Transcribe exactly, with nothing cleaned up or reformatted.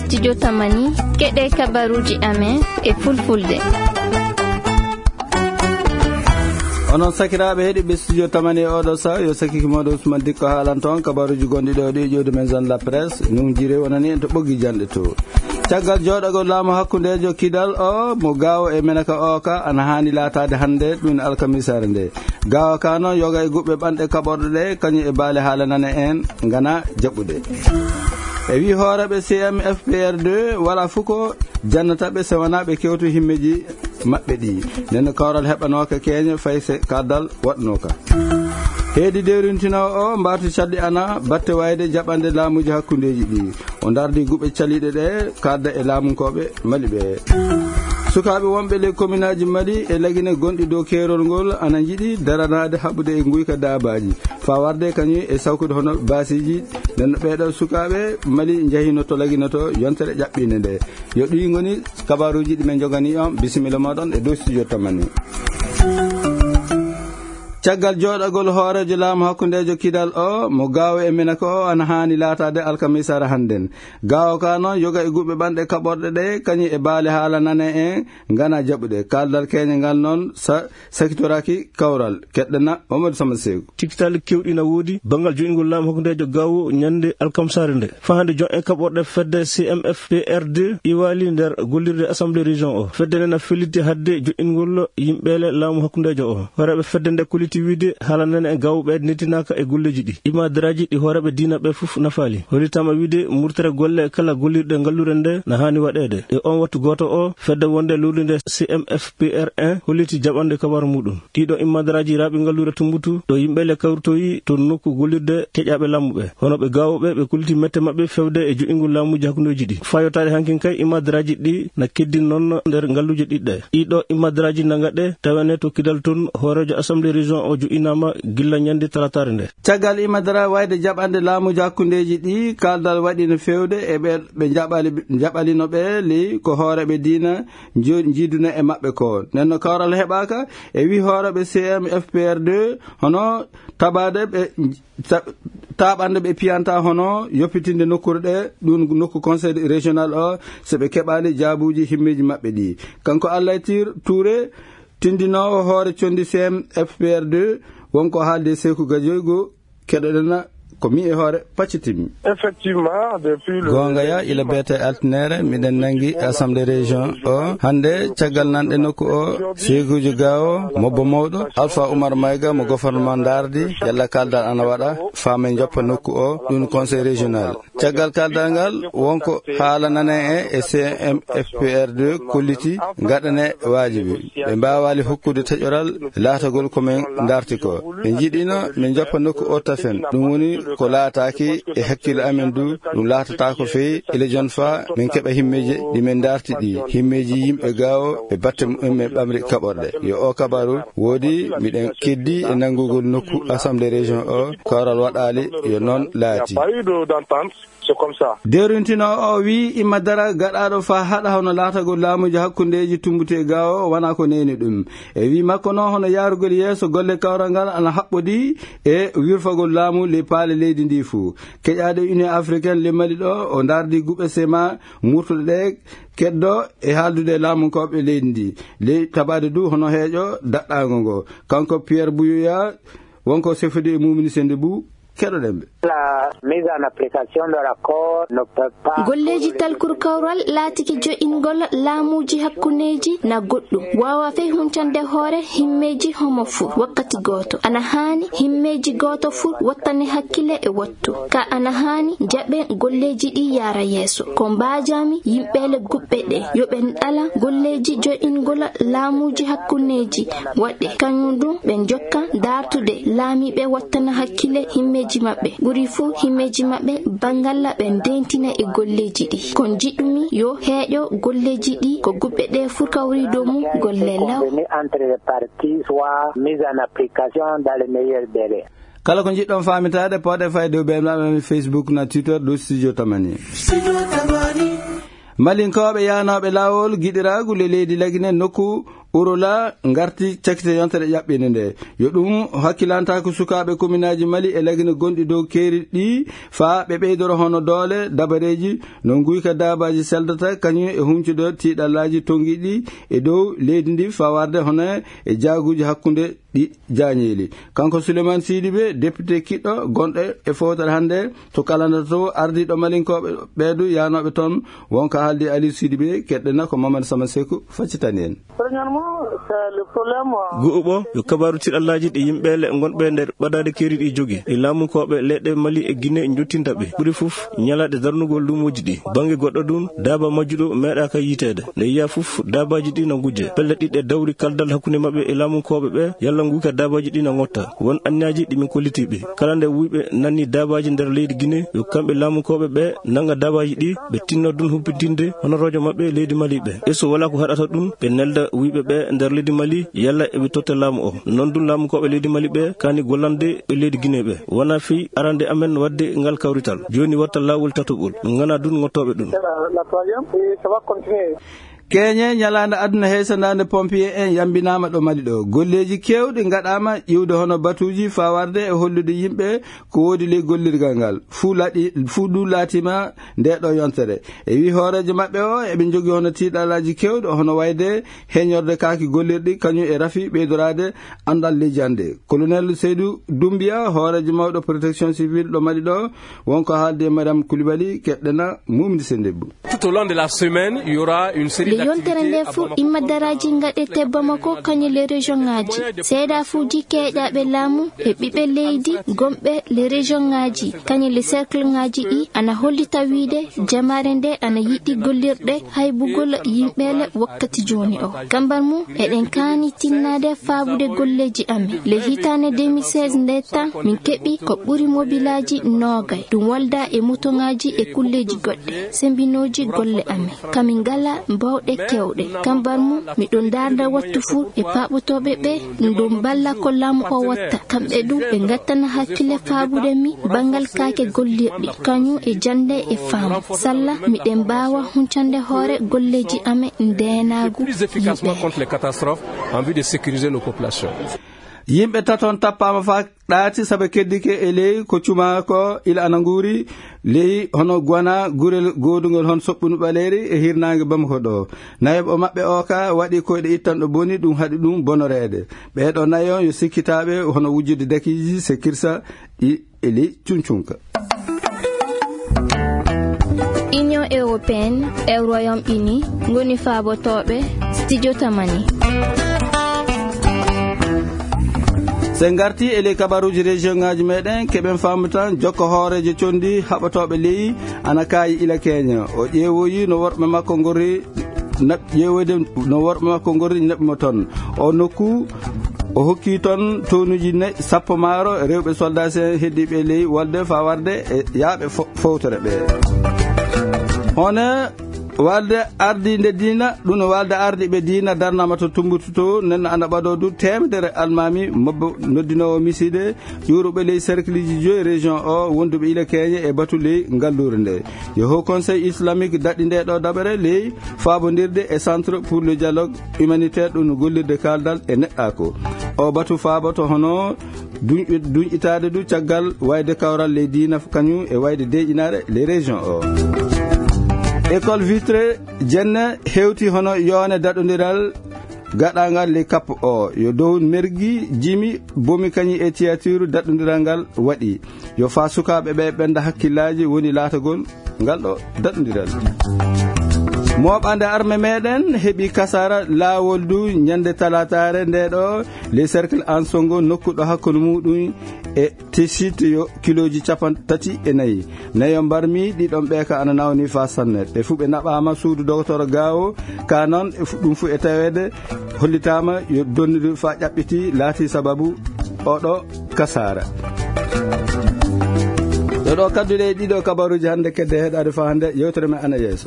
Studio Tamani, keɗe kabaruuji amen e fulfulde. Onon sakiraaɓe heɗiɓe Studio Tamani e oɗo sa, yo sakiki mooɗo Ousmane Dikko haalan toon kabaruuji gonɗi ɗo ɗi ƴoodi men zone la presse, num jire wonani en to ɓoggi janɗe to. Caggal jooɗagol laamu hakkundeejo Kidal o, mo Gaawo e Menaka o ka, ana haani laataade hannde, ɗum alkamisaare nde. Gaawo ka noon, yoga e guɓɓe ɓanɗe kaɓorɗe ɗe, kañum e baale haala nane en, ngana jaɓude. E wi hooreɓe C M F P R deux, wala fof ko jannata ɓe, so wonaa ɓe kewtu himmeeji maɓɓe ɗi. Nden no kawral heɓanooka keeña, fay se kardal waɗnooka. Heedi dewrintinoowo o, mbaatu calɗi ana batte wayde jaɓande laamuuji hakkundeeji ɗi. O ndardi guɓe caliiɗe ɗe, kadda e laamunkooɓe Mali ɓe. Sukaaɓe wonɓe le commune aji Mali e Lagine gonɗi dow keerol ngol ana njiɗi daranaade haɓude e nguyka daabaaji. Faa warde kañum e sawkude hono baasiiji. Nden no ɓeeɗo sukaaɓe Mali njahino to Lagine to yontere ƴaɓɓinde nde. Yo ɗi ngoni kabaruuji ɗi men njogani on. Bisimilla mooɗon e dow Studio Tamani. Caggal jooɗagol hooreejo laamu hakkundeejo Kidal o, mo Gaawo e Menaka o, ana haani laataade alkamisaare hannden. Gaawo ka noon, yoga e guɓɓe ɓanɗe kaɓorɗe ɗe, kañum e baale haala nane en, ngana jaɓude. Kaldal keeña ngal noon, sa-, sakitoraaki kawral. Keɗɗena, Mamadou Sama Seeku. Cikkital kewɗi na woodi, banngal joɗingol laamu hakkundeejo Gaawo ñande alkamsaare nde. Fahande jon en kaɓorɗe fedde C M F P R deux iwali nder gollirde Assemblée Région o. Fedde nde na felliti hadde joɗingol yimɓeele laamu hakkundeejo o. Horeeɓe fedde nde koliti wiide haala nane e Gaawo ɓe nettinaaka e golleeji ɗi. Imadaraaji ɗi hooreeɓe diina ɓe fof nafaali. Hollitaama wiide murtere golle kala gollirɗe ngallure nde na haani waɗeede. E on wattu gooto o, fedde wonde lowlinde C M F P R un holliti jaɓande kabaru muɗum. Ɗiɗo imadaraaji raaɓi ngallure Tumbutu, ɗo yimɓe le kawritoyi to nokku gollirde keƴaaɓe laamu ɓe. Hono ɓe Gaawo ɓe, ɓe kolliti mette maɓɓe fewde e joɗingol laamuuji hakkundeeji ɗi. Faa yottaade hankin kay, imadaraaji ɗi na keddi noon nder ngalluuje ɗiɗɗe. Ɗiɗo imadaraaji na ngaɗe tawene to Kidal toon, hooreejo Assemblée Région o joɗinaama gilla ñande talataare nde. Caggal imadara wayde jaɓande laamuuji hakkundeeji ɗi, kaldal waɗi no fewde e ɓe, ɓe jaɓali, jaɓalino ɓe ley ko hooreeɓe diina njo-, njiiduna e maɓɓe ko. Nden no kawral heɓaaka, e wi hooreeɓe C M F P R deux, hono tabaade ɓe, ta-, taɓande ɓe piyanta hono yoppitinde nokkuure ɗe, ɗum nokku conseil régional o, so ɓe keɓaali jaabuuji himmeeji maɓɓe ɗi. Kanko Allay Tir Touré, tindinoowo hoore condi C M F P R deux, wonko haalde Seeku Gajoygo, keɗoɗen ko mi e hoore paccitimi. Effectivement, depuis le Goonga ya, ila beete altinere, miɗen nangi Assemblée Région o. Hannde, caggal nanɗe nokku o, Seeguuji Gaawo, mobbo mawɗo, Alpha Oumar Maïga, mo gouvernement ndardi, yalla kaldal ana waɗa, faa men joppa nokku o, ɗum conseil régional. Caggal kaldal ngal, wonko haala nane e, e C M F P R deux kolliti, ngaɗane waajibi. Ɓe mbaawaali hokkude taƴoral laatagol ko men ndarti ko. Ɓe njiɗino min joppa nokku o tafen. Ɗum woni ko laataaki e hakkilo amen du, ɗum laatata ko feyi ila jon faa min keɓa himmeeji ɗi min ndarti ɗi. Himmeeji yimɓe Gaawo e batte mumen ɓamri kaɓorɗe. Yo o kabaru woodi, miɗen keddi e nanngugol nokku Assemblée Région o, kawral waɗaali, yo noon laati. C'est comme ça. Derintino o wi imma dara gaɗaɗo fa haɗa hono laatagol laamuji hakkundeji Tumbutu e Gaawo wona ko neni ɗum. E wi makko noon hono yaarugol yeeso golle kawral ngal ana haɓɓodi e wirfagol laamu ley paale leydi ndi fuu. Keƴaɗo Union Africaine ley Mali ɗo o dardi guɓe sema murtuɗe ɗe keddo e haaldude e laamunkoɓe leydi ndi. Ley tabaade du hono heeƴo daɗɗaango ngo. Kanko Pierre Bouyoya wonko sefodi e mumini sende bu keɗoɗen ɓe. La mise en application de l'accord ne peut pas Golleeji talkuru kawral laatiki jo'ingol laamuuji hakkundeeji na goɗɗum. Waawa fey huncande hoore himmeeji homo fuu wakkati gooto. Ana haani himmeeji gooto fuu wattane hakkile e wattu. Ka ana haani jaɓe golleeji ɗi yaara yeeso. Ko mbaajami yimɓe le guɓɓe ɗe yo ɓe ɗala golleeji jo'ingol laamuuji hakkundeeji waɗe. Kañum ɗum ɓe njokka daartude laamiiɓe wattana hakkile himmeeji maɓɓe. Ɓuri fuu himmeeji maɓɓe bangalla ɓe ndentina e golleeji ɗi. Ko njiɗumi yo heeƴo golleeji ɗi ko guɓɓe ɗe fuu kawri dow mum golle law. Entre les parties soit mise en application dans les meilleurs délais. Kala ko njiɗɗon faamitaade, pooɗe fayde dow beenaaɓe amen Facebook na Twitter dow Studio Tamani. Malinkooɓe yaanooɓe laawol giɗiraagu le leydi Lagine nokku Urola ngarti cakite yontere ƴaɓɓinde nde. Yo ɗum hakkilantaako sukaaɓe kominaaji Mali e Lagine gonɗi dow keeri ɗi, faa ɓe ɓeydoro hono doole, dabareeji, no nguyka daabaaji seldata, kañum e huñcude tiiɗallaaji tonngiiɗi e dow leydi ndi, faa warde hono e jaaguuji hakkunde ɗi jaañeeli. Kanko Souleymane Sidibé, député kiɗɗo gonɗo e fowtere hannde to Kalanda to, ardiiɗo Malinkooɓe ɓeedu yaanooɓe toon, wonko haaldi Aliou Sidibé, keɗɗena ko Mamadou Sama Seku faccitani en. Premièrement, c'est le problème, euh, Gu'uɓo yo kabaaru tiɗallaaji ɗi yimɓeele ngonɓe nder ɓadaade keeri ɗi jogi, ɗi laamunkooɓe leyɗe Mali e Guinée njottinta ɓe. Ɓuri fof ñalaaɗe darnugol luumooji ɗi. Bannge goɗɗo ɗum, daaba majjuɗo meeɗaaka yiiteede. Nde yiya fof, daabaaji ɗi na ngujje. Pelle ɗiɗi e dawri kaldal hakkunde maɓɓe e laamunkooɓe ɓe, yalla nguyka daabaaji ɗi na ngotta. Won anniyaaji ɗi min kolliti ɓe. Kala nde wuyɓe nanni daabaaji nder leydi Guinée, yo kamɓe laamunkooɓe ɓe nannga daabaaji ɗi, ɓe tinno ɗum humpitinde honoroojo maɓɓe leydi Mali ɓe. E so walaa ko haɗata ɗum, ɓe nelda wuyɓe ɓe nder leydi Mali, yalla eɓe totta laamu o. Noon ɗum laamunkooɓe leydi Mali ɓe kaani gollande ɓe leydi Guinée ɓe. Wonaa fii arande amen waɗde ngal kawrital. Jooni watta laawol tataɓol. Min nganaa ɗum ngottooɓe ɗum. C'est la, la troisième, et ça va continuer. Keñe ñalaande aduna heysanaande pompier en yambinaama ɗo Mali ɗo. Golleeji keewɗi ngaɗaama iwde hono batuuji faa warde e hollude yimɓe ko woodi ley gollirgal ngal. Fuu laaɗi, fuu ɗum laatiima nde ɗo yontere. E wii hooreejo maɓɓe o, eɓe njogii hono tiiɗalaaji keewɗi, hono wayde heñorde kaaki gollirɗi, kañum e rafi ɓeydoraade anndal leydi hannde. Colonel Seydou Doumbia, hooreejo mawɗo protection civile ɗo Mali ɗo, wonko haaldi e Mariam Koulibaly, keɗɗena Mumdi Sendebbo. Tout au long de la semaine, il y aura une série d'activités à Bamako. Nde yontere nde fuu, imma daraaji ngaɗete Bamako, kañum le région ŋaaji. Seedaafuuji keeƴaaɓe laamu e ɓiɓɓe leydi gonɓe le région ŋaaji, kañum le cercle ŋaaji ɗi, ana hollita wiide jamaare nde ana yiɗi gollirɗe haybugol yimɓeele wakkati jooni o. Kambar mum, eɗen kaani tinnaade faabude golleeji amen. Le hitaande deux mille seize nde tan, min keɓi ko ɓuri mobilaaji noogay. Ɗum walda e motoŋaaji e kulleeji goɗɗi. Sembinooji golle amen. Ka min ngala bawɗe kewɗe. Kambar mum, miɗo ndaarda wattu fuu e paaɓotooɓe ɓe, ɗum ɗo mballa ko laamu o watta. Kamɓe ɗum, ɓe ngattana hakkille faabude mi banngal kaake gollirɗi, kañum e jannde e faamu. Salla, miɗen mbaawa huncande hoore golleeji amen ndeenaagu yimɓe. Plus efficacement contre les catastrophes en vue de sécuriser nos populations. Yimɓe taton tappaama faa ɗaati sabu keddike e ley ko cumaa ko ila ana nguuri ley hono Guana, gurel goodungol hon soɓɓunu ɓaleeri e hirnaange Bamako ɗo. Nayoɓo maɓɓe o ka waɗi koyɗe ittanɗo boni, ɗum haɗi ɗum bonoreede. Ɓee ɗo nayo yo sikkitaaɓe hono wujjude dakiiji, sekirsa ɗi e ley cuncunka. Union européenne e Royaume-Uni ngoni faabotooɓe Studio Tamani. Se ngarti e ley kabaruuji région ŋaaji meɗen, keɓen faamu tan jokka hooreejo condi haɓotooɓe ley ana kaayi ila Keña. O ƴeewoyi no worɓe makko ngori naɓ-, ƴeewoyde no worɓe makko ngori naɓi mo toon. O nokku, o hokki toon toonuuji nayi, sappo maaro, rewɓe soldaasi en heddiiɓe ley wolde faa warde e yaaɓe fo-, fowtere ɓe. Hono walde ardiinde diina, ɗum no walde ardiiɓe diina darnama to Tumbutu to, nen ana ɓadoo du teemedere almaami mobbo noddinoowo misiide, ƴuuruɓe ley cercleji joyi région o, wonduɓe ila Keña e batu ley ngalluure nde. Yo Haut Conseil Islamique daɗi nde ɗo daɓere ley faabondirde e Centre pour le Dialogue Humanitaire, ɗum no gollirde kaaldal e neɗɗaako. O batu faaboto hono duñ-, duñƴitaade du caggal wayde kawral ley diina kañum e wayde deeƴinaare ley région o. École vitrée Jenne hewti hono yoone daɗondiral gaɗaangal ley kappo o. Yo dow mergi, jimi, bomi kañum e tiyatiiru daɗondiral ngal waɗi. Yo faa sukaaɓe ɓe ɓenda hakkillaaji woni laatagol ngal ɗo daɗondiral. Mooɓande arme meɗen heɓi kasaara laawol du ñande talaataare nde ɗo ley cercle Ansongo, nokku ɗo hakkunde muɗum e Tessit yo kilooji capanɗe tati e nayi. Nayo mbarmi ɗiɗon ɓe ka ana nawni faa sanne. Ɓe fuu ɓe naɓaama suudu dogotoro Gaawo. Ka noon e fu-, ɗum fuu e taweede hollitaama yo donnude faa ƴaɓɓiti laati sababu oɗo kasaara. Ɗo ɗo kadduɗe e ɗiɗo kabaruuji hannde kedde heɗaade faa hannde yewtere men ana yeeso.